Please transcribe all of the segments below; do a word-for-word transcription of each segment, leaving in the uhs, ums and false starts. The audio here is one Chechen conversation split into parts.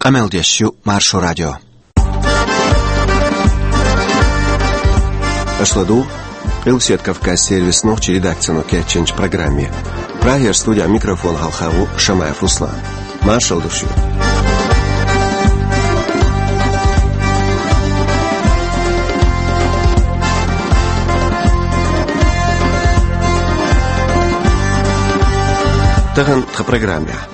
Къамел деш ю Маршо радио. Аша ладугӀу Къилбаседа Кавказ сервисан нохчийн редакцино кечйинчу программе. Прагера студехь микрофон хьалха ву Шамаев Руслан. Маршалла ду шуьга. Тахана тхан программехь.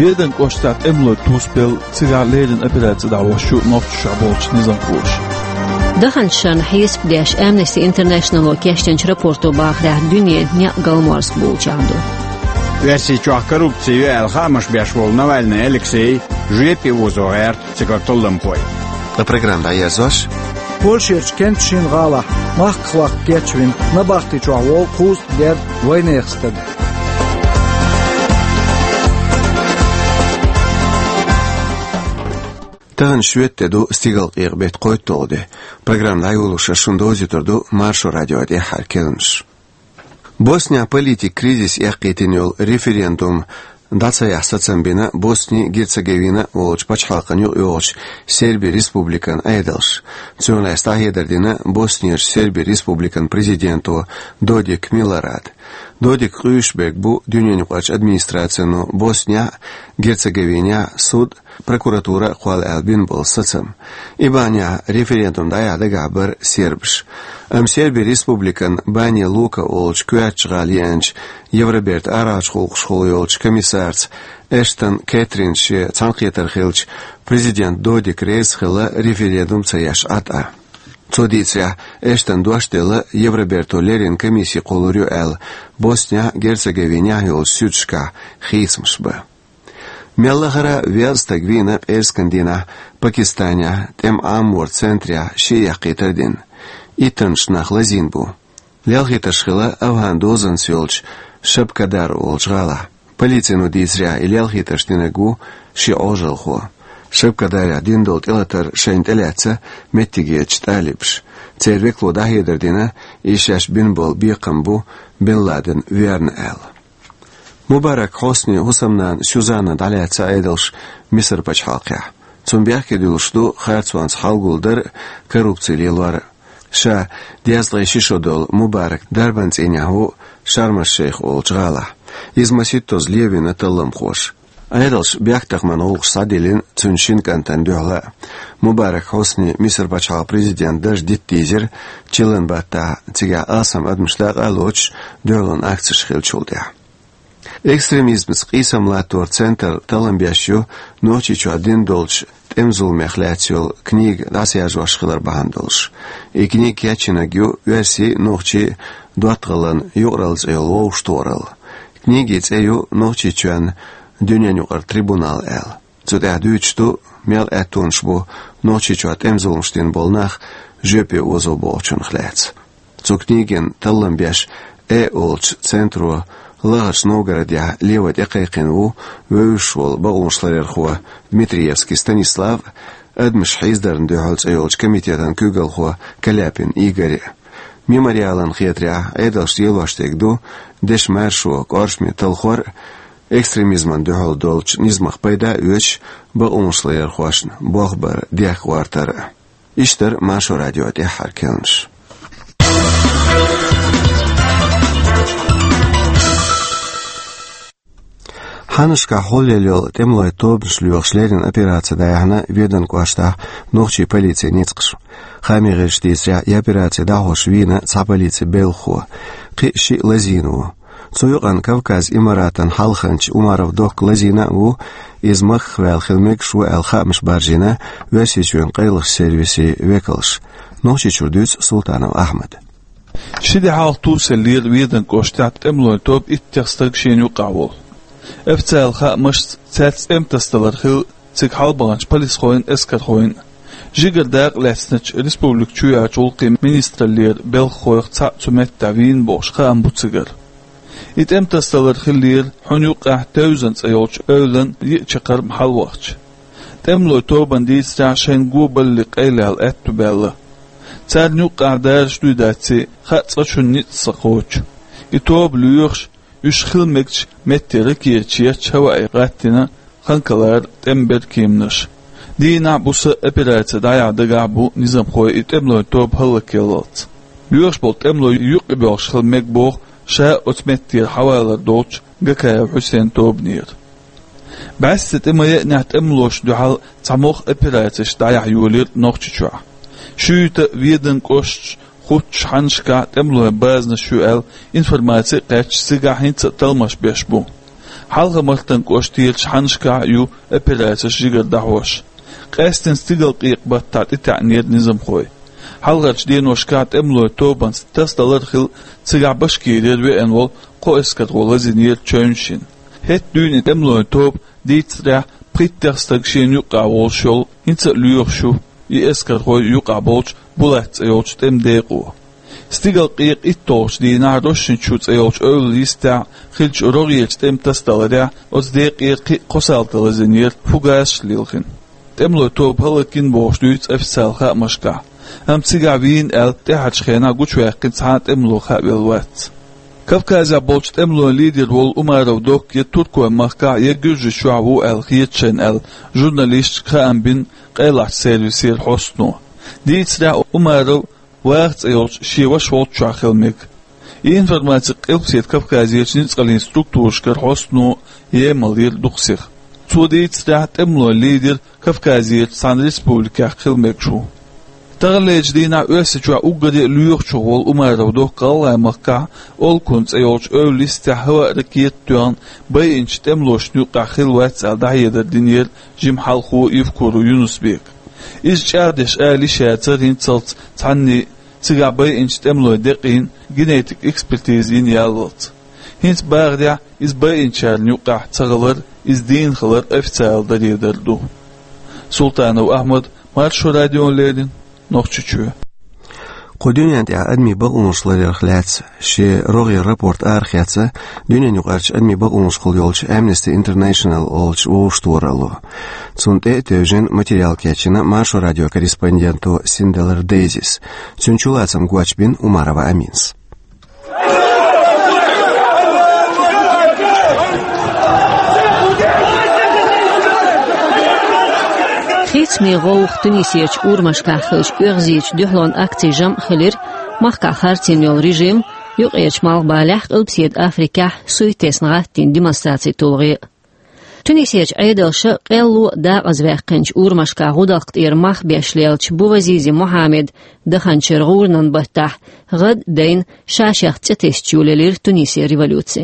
Веданан кӀоштахь тӀемалой тусабелла, цигахь леррина операци дӀахьош ю нохчашкахь болчу низамхоша. Даханчу шарна хьесап деш, Amnesty International-о кечдинчу рапорто бахарехь, дуьненан некъ галморза болчехь ду. Оьрсийчохь коррупци ю аьлла хаамаш беш волу Навальный Алексей жоьпе озо гӀерта цигара талламхой. Ткъа программа дӀаерзош. Польшерчу кентан шина гӀалахь махках ваккха кечвина набахти чохь волу кхузткъа герга вайнехан стаг. Тахана шоьтан де ду, стигалкъекъа беттан кхойтталгӀа де. Программа дӀайолош ас шуна довзуьйтур ду Маршо радион тӀаьххьара керланаш. Боснехь политикан кризис эккхийтина йолу референдум дӀа ца яхьа сацам бина Босни-Герцеговина олучу пачхьалкхана юкъайогӀучу Серби Республикан Ӏедалша. Цунах лаьцна дӀахьедар дина Боснерчу Серби Республикан президенто Додик Милорада. Додик къуьйсуш берг бу дуьненаюкъарчу администрацино Боснехь а, Герцеговинехь а суд, прокуратура а кхолла аьлла бина болу сацам. И бахьанехь референдум дӀаяхьа дагахь бара сербаш. Амма Серби Республикан Бане Лука олучу коьртачу гӀала еанчу Евробертан арахьарчу гӀуллакхашкахула йолчу комиссарца Эштон Кэтринца шен цхьаьнакхетар хилча, президент Додик реза хилла референдум ца еш Ӏа тӀе. Цо дийцарехь, Эштона дош делла, Евроберто леррина комисси кхуллур ю аьлла, Боснехь а, Герцеговинехь а йолчу суьдашкахь хийцамаш бан. Мел лахара а веза стаг вийна пӀераскан дийнахь Пакистанехь тӀеман Ӏаморан центрехь шен яккхийтар а дина. Иттаннаш нах лазийна бу. Лелхийтарш хилла АвгӀан дозанца йолчу Шабкадар олучу гӀалахь. Полицино дийцарехь, и лелхийтарш динарг ву шен Ӏожалхо. Шабкадарехь дина долу тӀелатар шайна тӀелаьцна меттигерчу талибаша. Церан векало дӀахьедар дина, и шаьш бина болу бекхам бу Бен Ладен верна аьлла. Мубарак Хьусни хӀусамнана Сюзанна дӀалаьцна Ӏедалша Мисар пачхьалкхехь. Цунна бехке дуьллуш ду харцонца хьал гулдар а, коррупци лелор а. Ша дезткъе ши шо долу Мубарак дарбан цӀийнехь ву Шарм-аш-Шейх олучу гӀалахь. Иза масийттазза левина талламхоша. Ӏедалша бехктакхаман гӀуллакхаш схьадиллина цуьнан шина кӀантана дуьхьал а. Мубарак Хьусни Мисар пачхьалкхан президентан дарж дита дийзира чиллан баттахь, цигахь алсам адамаш дакъа а лоцуш, дуьхьалонан акцеш хиллачул тӀаьхьа. Экстремизмца къийсам латторан центр таллам беш ю Нохчийчохь дина долчу тӀеман зуламех лаьцна йолу книга дӀасаяжош хилар бахьана долуш. И книга кечйинарг ю оьрсийн а, нохчийн а доттагӀаллин юкъаралла цӀе йолу вовшахтохаралла. Книгин цӀе ю Нохчийчоьнан дуьненаюкъара трибунал аьлла. Цу тӀехь дуьйцуш ду, мел аьттонаш бу Нохчийчохь тӀеман зуламаш дина болу нах жоьпе озо бохучунах лаьцна. Цу книгин таллам беш, «Э» олучу центро ЛахарчӀ Новгородехь лево тӀекхайкхина ву вевзаш волу бакъонашларъярхо Дмитриевский Станислав а, «Адамаш хьийзадарна дуьхьал» цӀе йолчу комитетан куьйгалхо Каляпин Игорь а. Мемориалан хетарехь, Ӏедалшца лелош дерг ду дешан маршо, кӀоршаме талхор а, экстремизмана дуьхьал долчу низамах пайда а оьцуш, бакъонашларъярхошна болх бар дехка гӀортар а. Иштта дара Маршо радион тӀаьххьара керланаш. Хьаннашкахь хьулъелла йолу тӀемалойн тобанаш лоьхуш леррина операци дӀаяьхьна Веданан кӀоштахь нохчийн полицин ницкъаша. Хаамийн гӀирсаша дийцарехь, и операци дӀахьош вийна цхьа полицин белхахо, кхин а шиъ лазийна ву. Цу юкъана Кавказ Имаратан хьалханча Умаров Докка лазийна а ву, иза махках ваьлла хила мегаш ву аьлла хаамаш баржийна Оьрсийчоьнан къайлахчу сервисийн векалша. Нохчийчуьра дуьйцу Султанов Ахьмада. Ши де хьалха тусаеллера Веданан кӀоштахь тӀемалойн тоба иттех стаг шена юкъахь волу. Официалан хаамашца, цаьрца тӀемтасадалар хилла цига хьалабаханчу полисхойн а, эскархойн а. Жигара дакъа лаьцначу республикан чоьхьарчу гӀуллакхийн министраллера белхахойх цхьаъ цу меттехь вийна бохуш хаам бу цигара. И тӀемтасадалар хиллера хьуьнан юккъехь Тевзан цӀе йолчу эвлан йиъ чаккхарма хьалавахча. ТӀемалойн тобанна дийцарехь, шайна го балале къайлаяла аьтту баьлла. Царна юккъехь дараш дуй даций, хаа цкъачунна ницкъ ца кхочу. И тоба лоьхуш, уьш хила мегачу метте ракеташ етташ хӀаваъе гӀаттийна Анкалара тӀеман беркеманаш. Дийнахь, буса операци дӀаяхьа дагахь бу низамхой и тӀемалойн тоба хӀаллакъяллалц. Боьхаш болу тӀемалой юкъа боьлхуш хила мега боху ша оцу меттера хьавалар долчу Гакаев Хьусен тобанера. БӀаьсса тӀе ма-еанехь, тӀемалошна дуьхьал цхьа могӀа операцеш дӀаяхьа йолийра Нохчийчохь. Шуьйта, Веданан кӀошташ, Хуттачу хьаннашкахь тӀемалойн базанаш ю аьлла информаци а кхаьчча, цигахь хӀинца а талламаш беш бу. Хьалха-Мартан кӀоштарчу хьаннашкахь а ю операцеш жигара дӀахьош. Къаьсттина Стигалкъекъа-баттахь тӀетаьӀнера низамхой. Хьалхарчу деношкахь тӀемалойн тобанца тасадалар а хилла, цигахь Башкирера веана волу кхо эскархо лазийнера чевнаш йина. ХӀетахь дуьйна и тӀемалойн тоба, дийцарехь, пхийттех стаг шена юккъехь волуш йолу, хӀинца а лоьхуш ю и эскархой юкъахь болчу Булат цӀе йолчу тӀеман декъо. Стигалкъекъа итталгӀачу дийнахь Рощин-Чу цӀе йолчу эвла йистехь хиллачу рогӀерчу тӀеман тасадаларехь оцу декъера кхин а кхо салта лазийнера, фугасаш а лилхина. ТӀемалойн тоба хӀаллакйина бохуш дуьйцу официалан хаамашкахь, амма цигахь вийна аьлла, тӀаьхьарчу хенахь гучуваьккхина цхьа а тӀемало хаа велла вац. Кавказехь болчу тӀемалойн лидер волу Умаров Докка я Туркойн махкахь, я Гуьржийчохь ву аьлла хета шайна аьлла, журналисташка хаам бина къайлахчу сервисера хьостано. Дийцарехь, Умаров Ваха цӀе йолчу шен ваша волччохь хила мега. И информаци Къилбаседа Кавказерчу ницкъаллин структурашкара хьостано емаллера дукха сиха. Цо дийцарехь, тӀемалойн лидер Кавказерчу цхьана республикехь хила мегаш ву. Таханлерчу дийнахь Оьрсийчохь уггаре а лоьхучух волу Умаров Докка ГӀалгӀайн махкахь Олкун цӀе йолчу эвла йистехь хӀаваъ-ракета а тоьхна, байинчу тӀемалошна юккъехь хилла вац аьлла дӀахьедар динера жима хьалхо Евкуров Юнус-Бека. Иза чӀагӀдеш ала йиш яцара хӀинцалц цхьанний, цигахь байинчу тӀемалойн декъийн генетик экспертиза йина яллалц. ХӀинца бахарехь, иза байинчарна юккъехь ца хилар, иза дийна хилар официалан даре дар ду. Султанов Ахьмад, Маршо радиона леррина, Нохчийчоь. Кху дуьнен тӀехь адамийн бакъонаш ларъярх лаьцна шен рогӀера рапорт арахецна дуьненаюкъарчу адамийн бакъонашкахула йолчу Amnesty International олучу вовшахтохаралло. Цунна тӀе а тевжина, материал кечйина Маршо радион корреспонденто Синделар Дейзис. Цуьнан чулацам гочбина Умарова Аминас. Хийцамийн гӀовгӀа Тунисерчу урамашкахь хиллачу оьгӀазийчу дуьхьалонан акцийн жамӀ хилира махкахь харцйина йолу режим, юккъерчу малхбалехь, Къилбаседа Африкехь суьйта тесна гӀаттийна демонстрацийн тулгӀе. Тунисерчу Ӏедалша къелло а дакъазаваьккхинчу урамашкахь гӀудалкх тӀера мах беш леллачу Бувазизи Мухьаммадан даханчуьра гӀуранан баттахь гӀад а дайна, ша-шех цӀе тесча йолаелира Тунисера революци.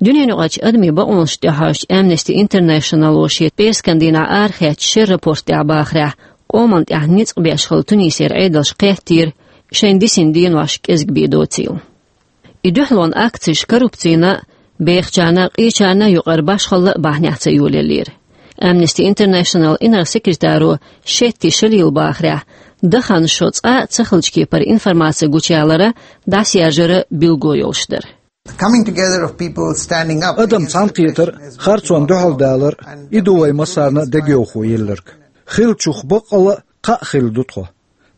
Дуьненаюкъарчу адамийн бакъонашна тӀехьожучу Amnesty International-о шен пӀераскан дийнахь арахецначу шеран рапорт тӀехь бахарехь, къоманна тӀехь ницкъ беш хилла Тунисера Ӏедалша кхеттера шайна дисина денош кӀезиг бен доцийла. И дуьхьалонан акцеш коррупцина, бехачарна, къечарна юкъара башхалла бахьанехь ца йолаеллера. Amnesty International инарла-секретаро Шетти Шалила бахарехь, дахана шо цкъа а ца хиллачу кепара информаци гучуялара, дӀасаяржара билгало йолуш дара. Coming together of people standing up. Адам цхьаьнакхетар, харцонна дуьхьал далар, и ду вай массарна а дегайовхо елларг. Хиллачух баккъалла а кхаъ хилла ду тхо.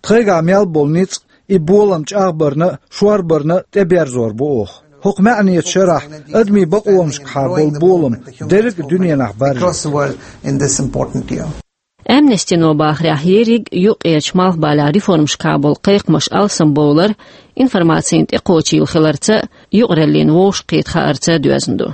Тхайгахь мел болу ницкъ, и болам чӀагӀбарна а, шорбарна а тӀеберзор бу оха. ХӀокху маьӀнечу шарахь адамийн бакъонашкахьа болу болам дерриг а дуьненахь баржийта. Across the world in this important year. Amnesty-но бахарехь, ерриг а юккъерчу малхбалехь реформашкахьа болу кхайкхамаш алсамбовлар информацина тӀекхочийла хиларца а, юкъараллина вовшахкхета хаарца а доьзна ду.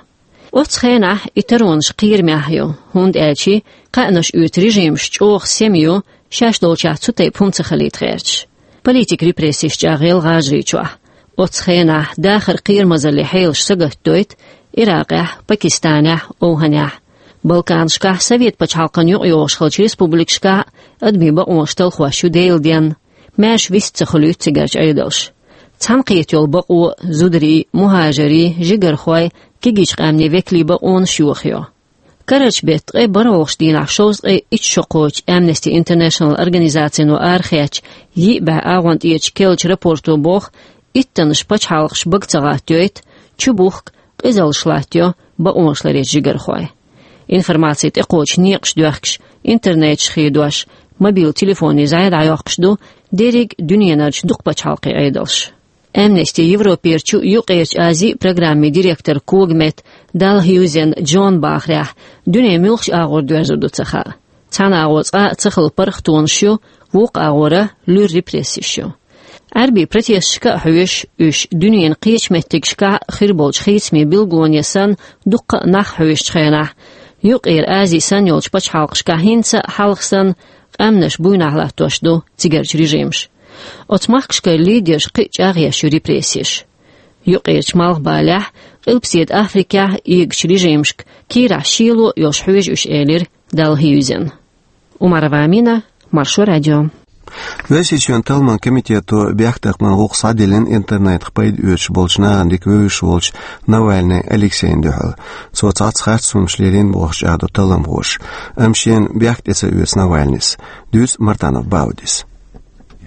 Оццу хенахь и таронаш кхерамехь ю, хӀунда аьлча кхаьънаш оьцу режимаш чӀогӀа сема ю, шаьш долчохь цу тайпа хӀума ца хилийта гӀерташ. Политикан репрессеш чӀагӀъелла ГӀажарийчохь. Оццу хенахь дахаран кхерамазаллин хьелаш сагатдойту Иракъехь, Пакистанехь, ОвхӀанехь. Балканашкахь, Совет пачхьалкхана юкъайогӀуш хиллачу республикашкахь а адамийн бакъонаш талхош ю Делан денна. Маьрша вист ца хуьлуьйту цигарчу Ӏедалша. Цхьаьнакхета йолу бакъо, зударийн, мухӀажарийн, жигархойн, кегийчу къаьмнийн векалийн бакъонаш йохайо. Карарчу беттан ткъе бархӀалгӀачу дийнахь шовзткъе итт шо кхочу Amnesty International организацино арахецначу йиъ бӀе агӀонтӀерачу керлачу рапорто боху, иттаннаш пачхьалкхаш бага ца гӀаттайойту, чубухку, къизаллаш латтайо бакъонаш ларъечу жигархойн. Информаци тӀекхочу некъаш доьхкуш, интернеташ хедош, мобил телефонийн зӀе дӀайоккхуш ду дерриг а дуьненарчу дукха пачхьалкхийн Ӏедалш. Amnesty Европерчу, Юккъерчу Азин программин директор Когмет Далла хӀийвзина Джон бахарехь, дуьне муьлхачу агӀор доьрзур ду ца хаьа. Цхьана агӀор цкъа а ца хилла паргӀатонаш ю, вукху агӀора луьра репрессеш ю. Ӏаьрбийн протесташка а хьоьжуш, уьш дуьненан кхечу меттигашкахь а хир болчу хийцамийн билгалонех санна дуккха а нах хьоьжучу хенахь, Юккъера Ази санна йолчу пачхьалкхашкахь хӀинца а хьалха санна къаьмнаш буйнахь латтош ду цигарчу режимаш. Оцу махкашкара лидерш кхин а чӀагӀъеш ю репрессеш. Юккъерчу Малхбалехь, Къилбаседа Африкехь а эгачу режимашка кийрахь шело а йолуш хьоьжу уьш, элира Далла хӀийвзина. Умарова Амина, Маршо радио. Оьрсийчоьнан талламан комитето бехктакхаман гӀуллакх схьадиллина интернетах пайда оьцуш болчу нахана дика вевзаш волчу Навальный Алексейна дуьхьал. Цо цхьацца харц хӀуманаш лелийна бохуш чӀагӀдо талламхоша, амма шена бехк тӀе ца оьцу Навальныйс. Дуьйцу Мартанов Баудис.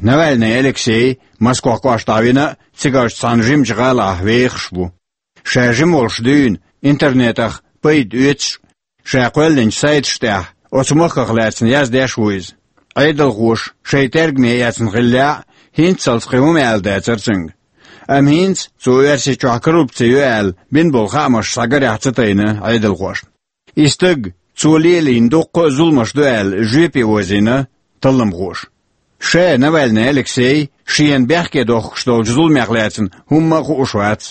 Навальный Алексей Москох кӀоштахь вина а, цигарчу цхьана жимачу гӀалахь вехаш ву. Ша жима волуш дуьйна, интернетах пайда оьцуш, ша кхоьллинчу сайташ тӀехь оцу махках лаьцна яздеш ву иза. Ӏедалхоша шайн тергаме эцна хиллехь а, хӀинццалц кхин хӀума аьлла дацара цуьнга. Амма хӀинца цо Оьрсийчохь коррупци ю аьлла бина болу хаамаш схьагарехь ца тайна Ӏедалхошна. И стаг, цо лелийна дуккха а зуламаш ду аьлла, жоьпе возийна талламхоша. Ша, Навальный Алексей, шена бехке дохкуш долчу зуламех лаьцна хӀумма а хууш вац.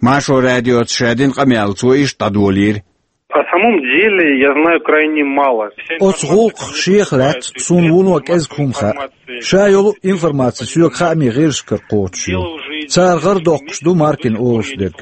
Маршо радиоца ша дина къамел цо иштта дӀадолийра. О самом деле я знаю крайне мало. Оцу гӀуллакхах шех лаьцна суна вуно кӀезиг хӀума хаьа. Ша йолу информаци соьга хаамийн гӀирсашкара кхочуш ю. Цара гӀар доккхуш ду Маркин олуш дерг.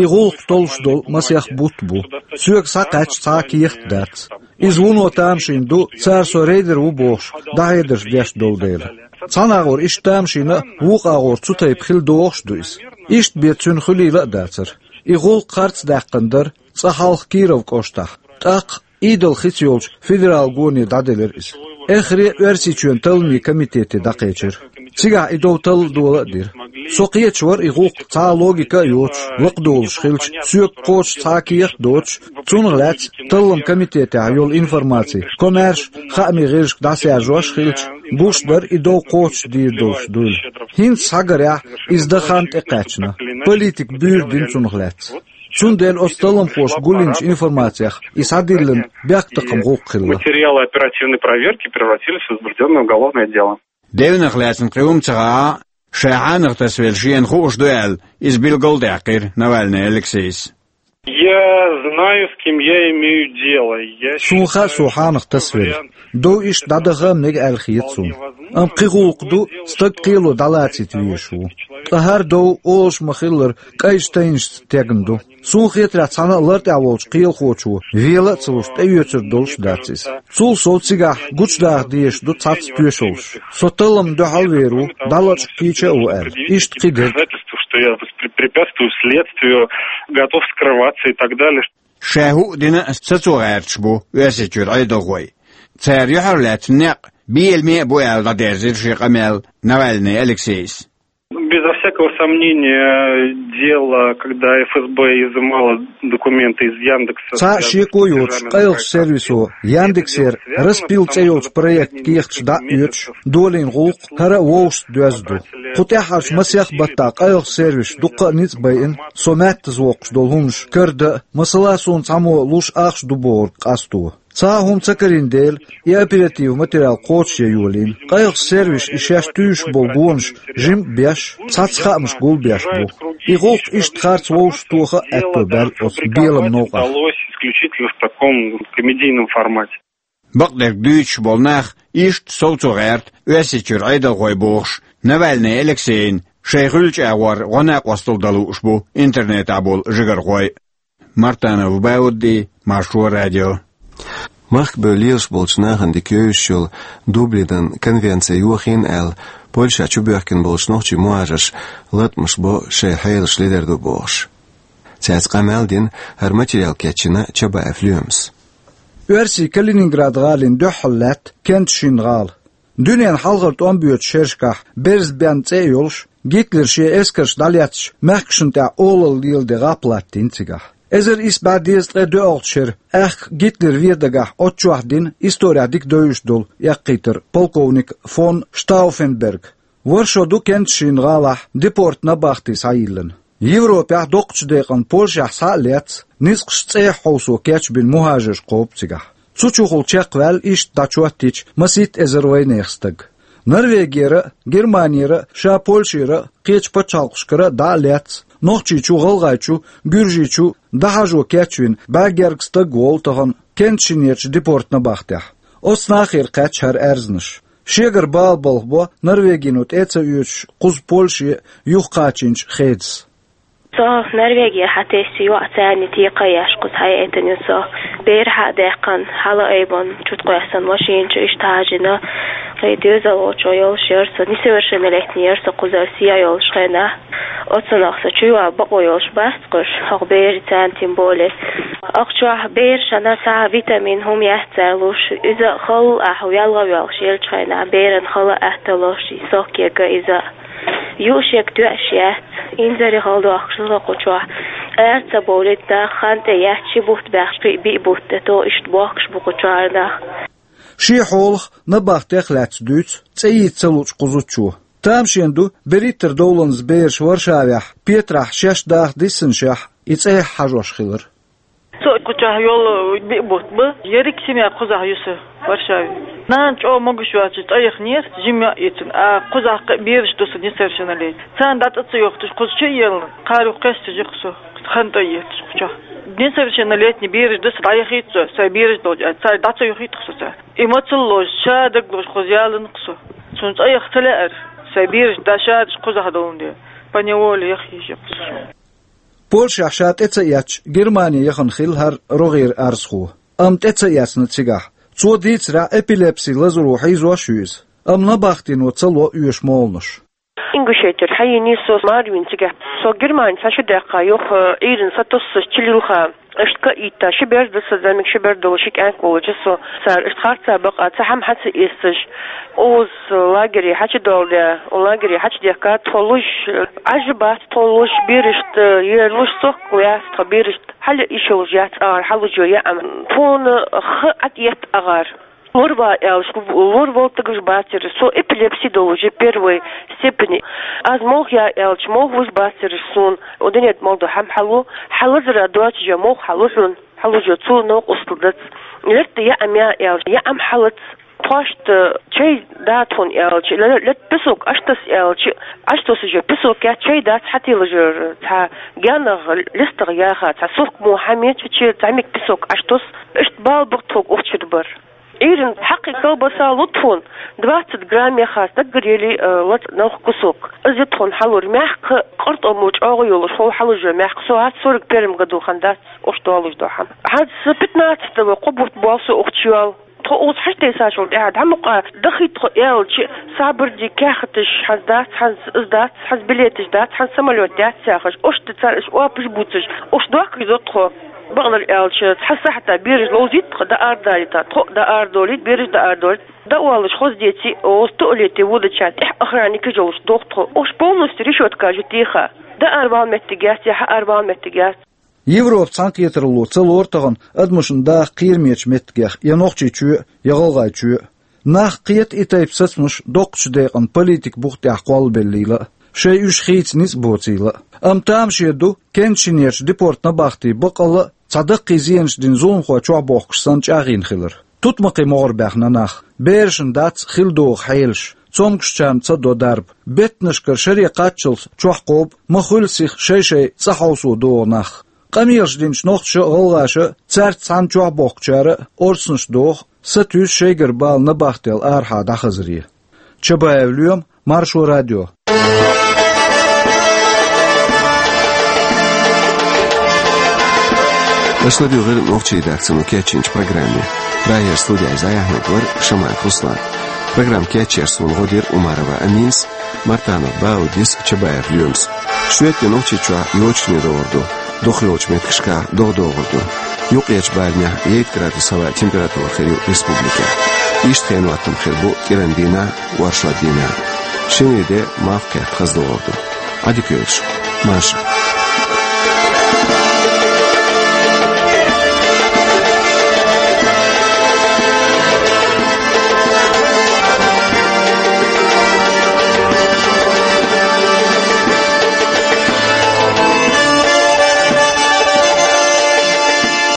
И гӀуллакх толлуш долу масех бутт бу. Соьга схьакхаьчча цхьа а кехат дац. Иза вуно тамашийна ду, цара со рейдер ву бохуш, дӀахьедарш деш долу дела. Цхьана агӀор иштта тамашийна а, вукху агӀор цу тайпа хила догӀуш а ду иза. Иштта бен цуьнан хуьлийла а дацара. И гӀуллакх харц даьккхина дара цкъа хьалха Киров кӀоштахь. ТӀаккха Ӏедал хица йолчу федерал гоне дӀаделира иза. Эххар а Оьрсийчоьнан талламийн комитете дӀакхечира. Цигахь и дов талла дола а дира. Со кхеташ вара и гӀуллакх цхьа а логика а йоцуш, лакхадолуш хилча, соьга кхочуш цхьа а кехат а доцуш, цунах лаьцна талламан комитетехь йолу информаци комаьрша хаамийн гӀирсашка дӀасаяржош а хилча, гуш дара и дов кхочушдийр долуш дуйла. ХӀинца схьагарехь, иза дан хан тӀекхаьчна. Политика буьйр дина цунах лаьцна. Цундела оцу талламхоша гулйинчу информацех и схьадиллина бехктакхаман гӀуллакх хилла. Материалы оперативной проверки превратились в возбуждённое уголовное дело. Девнах лаьцна кхин хӀума ца хаьа, ша хьанах тасавелла шена хууш ду аьлла, иза билгалдаьккхира Навальный Алексейс. Я знаю, с кем я имею дело. Я Суна хаьа, со хьанах тасавелла. Дов иштта дӀадаха а мега аьлла хета суна. Амма кхин гӀуллакх ду, стаг кхело дӀалацийта везаш ву. Ткъа хӀара дов, олуш ма-хиллара, кӀайчу тайнашца тегна ду. Суна хетарехь, цхьана а лартӀехь волчу кхелахочо вела а ца луш, тӀеоьцур долуш дац иза. Цул сов цигахь гучудаха дезаш ду цхьацца тоьшаллаш. Со талламна дуьхьал а вер ву, дӀалачкъа кийча а ву аьлла. Иштта кхидерг. Доказательства, что я воспре-, препятствую следствию, готов скрываться и так далее. Ша хӀуъа дина а сацо гӀерташ бу Оьрсийчуьра Ӏедалхой. Цара юьхьарлаьцна некъ беламе а бу аьлла, дӀадерзира шен къамел Навальный Алексейс. Безо всякого сомнения, дело, когда Ф С Б изымало документы из Яндекса, Цхьа а связанные с шеко йоцуш, платежами на къайлахчу сервисо Яндексера «Распил» цӀе йолчу проектан кехаташ дӀа а оьцуш, долийна гӀуллакх хӀара а вовшашца доьзна ду. Кху тӀаьххьарчу масех баттахь къайлахчу сервисаша дуккха а ницкъ байина со маьттаза воккхуш долу хӀуманаш карадан а, масала, суна цхьаммо луш ахча ду бохург къасто. Цхьа а хӀума ца карийна дела, и оператив материал кхочушъян йолийна. Къайлахчу сервисаша и шаьш туьйсуш болу гонаш жима а беш, цхьацца хаамаш гулбеш бу. И гӀуллакх иштта харц вовшахтоха а аьтто баьлла оцу белам новкъахь. Удалось исключительно в таком комедийном формате. Бакъдерг дуьйцуш болу нах иштта совцо гӀерта Оьрсийчуьра Ӏедалхой бохуш, Навальный Алексейна шайн хуьлучу агӀор гӀо-накъосталла дан лууш бу интернетехь болу жигархой. Мартанов Баудди, Маршо радио. Махкабевлла лелаш болчу нахана дика йовзаш йолу Дублинан конвенци йохийна аьлла, Польша чубоьхкина болчу нохчийн мухӀажарша латкъамаш бо, шайн хьелаш ледара ду бохуш. Цаьрца къамел дина хӀара материал кечйина Чабаев Лоьмас. Оьрсийн Калининград гӀалина дуьххьал лаьтта кентан шина гӀала. Дуьненан хьалхара тӀом боьдучу шерашкахь берза бен цӀе а йолуш, Гитлера шен эскарш дӀалецначу мехкашна тӀехь олалла леладе гӀап латтийна цигахь. Эзар исс бӀе дезткъе доьалгӀачу шеран аьхка Гитлера вен дагахь оццу чохь дина, исторехь дика девзаш долу эккхийтар полковник фон Штауфенберг. ВорхӀ шо ду кентан шина гӀалахь депортан набахти схьайиллина. Европехь доккхачу декъана Польшехь схьа а лаьцна, низкъаш цӀех хьовсо кечбина мухӀажарш кхобу цигахь. Цу чухула чекхваьлла иштта дӀачоттийча масийтта эзар вайнехан стаг. Норвегера а, Германера а, ша Польшера а, кхечу пачхьалкхашкара а дӀа а лаьцна, Нохчийчу, ГӀалгӀайчу, Гуьржийчу дӀахьажо кечвина бӀе гергга стаг волу тахана Кенчинерчу депортнабахтехь. Оцу нахера кхаьчна хӀара аьрзнаш. Шегара бала балхабо Норвегино тӀе а ца оьцуш кхуза Польше юхакхачийначу Хедас. Со Норвегехь схьатесна, йоӀ царна текхаеш кхуза схьаэцна ю со. Бер схьа а даьккхина, хьала а айбина, чу тӀе кхоьссина машина чу иштта хьажийна. Кхин доьзал волчо йолуш яра со, несовершеннолетний яра со кхузара сехьа йолуш хенахь. Оцунах со чу йоьду бакъо йолуш бац кхуьш, хӀокху берийн царна тем более. Ахчохь бераш шайна схьа витамин хӀума яц цара луш, иза хала ахь ялха воьлхуш елчу хенахь, беран хала атта ло шен соккега иза. Юушега тоьаш яц, инзаре хала дохкуш ду со кху чохь. Ара ца бовлийта нах, хан тӀе яц, ши бутт баьхча, кхин а биъ бутт тӀе то иштта бохкуш бу кху чохь нах. Шен хьолах, набахтех а лаьцна дуьйцу цӀе йийца ца луучу кхузачо. Тамашийна ду, берхӀиттара довланза бераш Варшавехь, Петрахь шаьш даха диссинашехь, и цӀехьа хьажош хилар. Со кху чохь йолу биъ бутт бу, ерриг семья кхузахь ю сан Варшаве. Нана чӀогӀа могуш йоцуш цӀа яхнера, жима йоӀ йицина, а кхузахь кхин а бераш ду сан несовершеннолетний. Царна дӀа цӀа ца йохуьйтуш, кхуза чу а елла, кхара юха кхаьчча жима со, хан тӀе а етташ кху чохь. Несовершеннолетний бераш ду сан, дӀаяхийта со, сайн бераш долчу аьлла, цара дӀа ца йохуьйту-кх со царна. И мацалла лозуш, ша дагалозуш кхуза яланна-кх со. Суна цӀа яха ца лаьара, сайн бераш дӀа ша деш кхузахь долун дела, поневоле яха йиш яра-кх со суна. Польшехь ша тӀе ца эцча, Германе яхана хилла хӀара рогӀера арзхо. Амма тӀе ца эцна цигахь. Цо дийцарехь, эпилепси лазаро хьийзош а ю иза. Амма набахтино ца ло оьшу молханаш. Ингушетера схьайийна со, мара вина цигахь. Со Германе схьа шу даьккха, юха Ӏуьйранна сатуссуш чулилха. Иштта ка а йитта, ши бер ду сан, замик ши бер долу, ши кӀант волчу со. Цара иштта харцахь бакъахь, цхьа хӀума схьа ца эццаш, Ӏовза лагере схьа чу долу де, лагере схьа чу дехка, тхо луш, Ӏаж бац тхо луш, берашта, э, ер луш сохка лаьцна тхо берашта. Хьала йиш йолуш яц агӀор схьалуш йо яа. Тхуна ха Ӏад етта агӀор. Лор ван аьлча, лор волу стагаш бацара, со эпилепси долуш я первой степени. Аз молха я аьлча, молха луш бацара суна. О, динет молду хьам хьалу, хьалазара доцча молха хьалу хьуна, хьалуш йо цу новкъостал дац. Лерта яа ам я аьлча, яа ам хьалац. Тхоашта чай да тхуна аьлча, ле-, лет песок аштас аьлча, аштос уже песок я, чай дац хьатилажар, цхьа генах листах яха, цхьа сухк мо хьамеча, че цхьа мик песок аштос, иштта бал бу тхо ухчур бар. Ирин хьакхи колбаса лу тхуна, двадцать грамм яха стаггар ели, э, лац нах кусок. Из я тхуна хьалур мягко, къартӀо мо чӀогӀа йолуш, хьол хьалужа мягко. Со хӀац сорок первом году хан дац, уш долуш до хьан. ХӀац пятнадцатого кхо бутт бу со ухчу йол. Тхо уц хьаш тесачул тӀаьхьа дӀа мукъа дахи тхо аьлча, сабарди кехаташ хьан дац, хьан из дац, хьан билеташ дац, хьан самолёт дац яхаш. Уш ди цар иш опаш буцаш, уш дохкаш до тхо. Бакъдар аьлча, цхьа сахьта бераш ловзийта тхо, да ардалита, тхо да ардолит, бераш да ардолит. Да уаллаш хоздеци, оз туалете водача тӀехь охранникаш йолуш дохтхо. Уш полностью решётка жу тиха. Да арвал меттиг яц, я хьа арвал меттиг яц. Европа цхьаьнакхетаралло ца лору тахана адамашна даха кхерамечу меттигех я Нохчийчоь, я ГӀалгӀайчоь. Нах кхета и тайпа сацамаш доккхачу декъана политика бух тӀехь кхоллабеллийла а, шайн уьш хийца ницкъ боцийла а. Амма тамаше ду, кенчинерчу депорт набахти бакъалла а цхьа даккхий зенаш дина зуламхой чохь бохкуш санна чӀагӀйина хилар. Тутмакхий могӀар баьхна нах, берашна дац хила догӀу хьелаш, цомгушчарна ца до дарба, беттанашкара шаре кхаччалц чохь кхобу, ма хуьлу сиха шай-шай цӀа хьовсо догӀу нах. Къамелаш динчу нохчаша а, гӀалгӀаша а, цаьрца цхьаьна чохь бохкучара а орцанаш доху, сатуьйсу шайгара бала набахтел арахьа дӀахазаре. Чабаев Лоьма, Маршо радио. Аша ладуьйгӀира нохчийн редакцино кечйинчу программе. Прагера студехь зӀе яхьниг вара Шамаев Руслан. Программа кечъяр суна гӀо дира Умарова Аминас, Мартанов Баудис, Чабаев Лоьмас. Шоьтан Нохчийчохь йочане догӀур ду, дукхах йолчу меттигашкахь догӀа догӀур ду. Юккъерчу барамехь ейтта градус хӀаваан температура хир ю республикехь. Иштта хенан хӀоттам хир бу кӀиран дийнахь, оршот дийнахь. Шинарин де малх кхетта хаза догӀур ду. Ӏадика йойла шун. Марша.